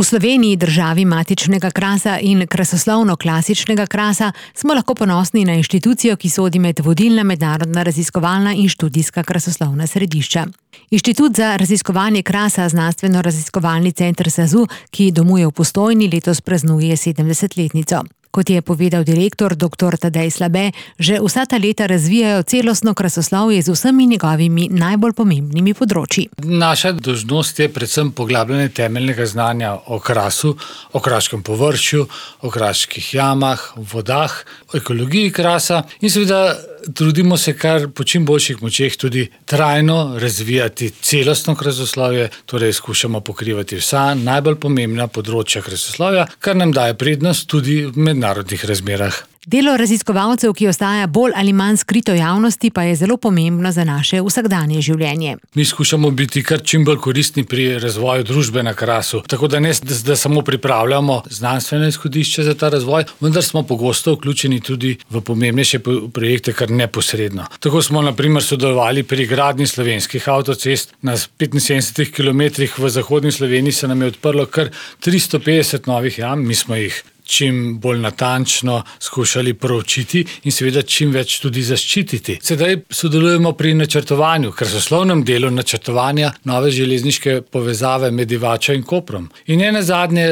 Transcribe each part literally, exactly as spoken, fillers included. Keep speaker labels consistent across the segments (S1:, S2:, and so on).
S1: V Sloveniji, državi matičnega krasa in krasoslovno-klasičnega krasa, smo lahko ponosni na inštitucijo, ki sodi med vodilna mednarodna raziskovalna in študijska krasoslovna središča. Inštitut za raziskovanje krasa, znanstveno-raziskovalni center SAZU, ki domuje v Postojni, letos praznuje sedemdesetletnico. Kot je povedal direktor doktor Tadej Slabe, že vsa ta leta razvijajo celostno krasoslovje z vsemi njegovimi najbolj pomembnimi področji.
S2: Naša dolžnost je predvsem poglabljanje temeljnega znanja o krasu, o kraškem površju, o kraških jamah, vodah, o ekologiji krasa in seveda trudimo se kar po čim boljših močeh tudi trajno razvijati celostno krasoslovje, torej skušamo pokrivati vsa najbolj pomembna področja krasoslovja, kar nam daje prednost tudi v mednarodnih razmerah.
S1: Delo raziskovalcev, ki ostaja bolj ali manj skrito javnosti, pa je zelo pomembno za naše vsakdanje življenje.
S2: Mi skušamo biti kar čim bolj koristni pri razvoju družbe na krasu, tako da ne da samo pripravljamo znanstvene izhodišča za ta razvoj, vendar smo pogosto vključeni tudi v pomembnejše projekte kar neposredno. Tako smo na primer sodelovali pri gradnji slovenskih avtocest. Na petinsedemdesetih kilometrih v zahodni Sloveniji se nam je odprlo kar tristo petdeset novih jam, mi smo jih čim bolj natančno skušali proučiti in seveda čim več tudi zaščititi. Sedaj sodelujemo pri načrtovanju, krasoslovnem delu načrtovanja nove železniške povezave med Divačo in Koprom. In ne nazadnje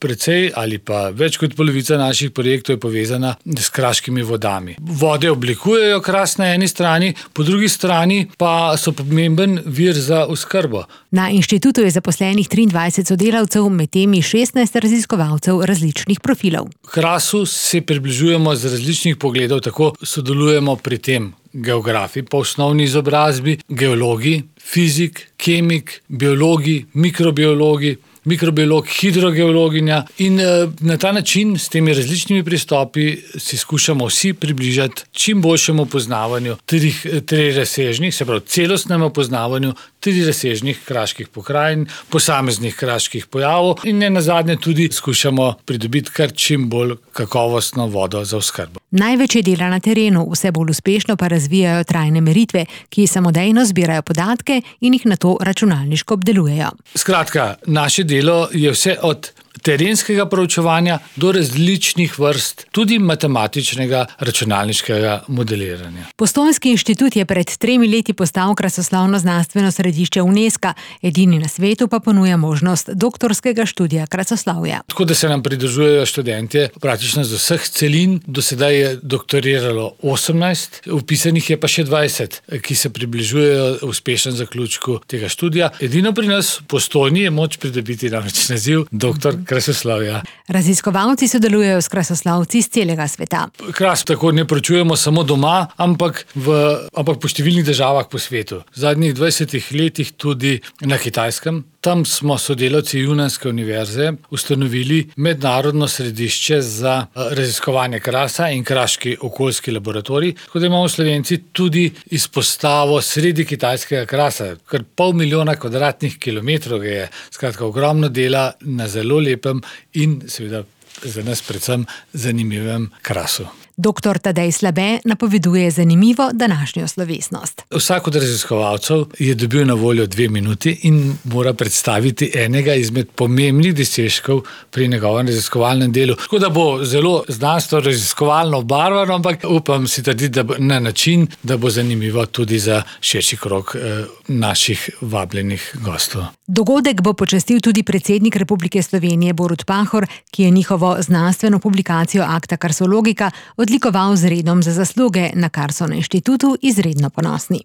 S2: precej ali pa več kot polovica naših projektov je povezana s kraškimi vodami. Vode oblikujejo kras na eni strani, po drugi strani pa so pomemben vir za oskrbo.
S1: Na inštitutu je zaposlenih triindvajset sodelavcev, med temi šestnajst raziskovalcev različnih profilov.
S2: Krasu se približujemo z različnih pogledov, tako sodelujemo pri tem geografi po osnovni izobrazbi, geologi, fizik, kemik, biologi, mikrobiologi, mikrobiolog, hidrogeologinja in na ta način s temi različnimi pristopi si skušamo vsi približati čim boljšemu poznavanju trih, trirazsežnih, se pravi celostnemu poznavanju trirazsežnih kraških pokrajin, posameznih kraških pojavov in ne nazadnje tudi skušamo pridobiti kar čim bolj kakovostno vodo za oskrbo.
S1: Največ je dela na terenu, vse bolj uspešno pa razvijajo trajne meritve, ki samodejno zbirajo podatke in jih nato računalniško obdelujejo.
S2: Skratka, naše delo je vse od terenskega proučevanja do različnih vrst, tudi matematičnega računalniškega modeliranja.
S1: Postojnski inštitut je pred tremi leti postal krasoslovno znanstveno središče UNESCO, edini na svetu pa ponuja možnost doktorskega študija krasoslovja.
S2: Tako da se nam pridružujejo študentje praktično z vseh celin, do sedaj je doktoriralo osemnajst, vpisanih je pa še dvajset, ki se približujejo uspešen zaključku tega študija. Edino pri nas v Postojni je moč pridobiti namreč naziv doktor krasoslovja.
S1: Raziskovalci sodelujejo s krasoslovci iz celega sveta.
S2: Kras tako ne proučujemo samo doma, ampak, v, ampak po številnih državah po svetu. V zadnjih dvajsetih letih tudi na Kitajskem. Tam smo sodelavci Junanske univerze ustanovili mednarodno središče za raziskovanje krasa in kraški okoljski laboratorij, tako da imamo Slovenci tudi izpostavo sredi kitajskega krasa. Kar pol milijona kvadratnih kilometrov je, skratka ogromno dela na zelo lepem in seveda za nas predvsem zanimivem krasu.
S1: Doktor Tadej Slabe napoveduje zanimivo današnjo slovesnost.
S2: Vsak od raziskovalcev je dobil na voljo dve minuti in mora predstaviti enega izmed pomembnih dosežkov pri njegovem raziskovalnem delu. Tako da bo zelo znanstveno raziskovalno obarvano, ampak upam si trditi, da bo na način, da bo zanimivo tudi za širši krog eh, naših vabljenih gostov.
S1: Dogodek bo počastil tudi predsednik Republike Slovenije Borut Pahor, ki je njihovo znanstveno publikacijo Acta Karsologika odlikoval z redom za zasluge, na kar so na inštitutu izredno ponosni.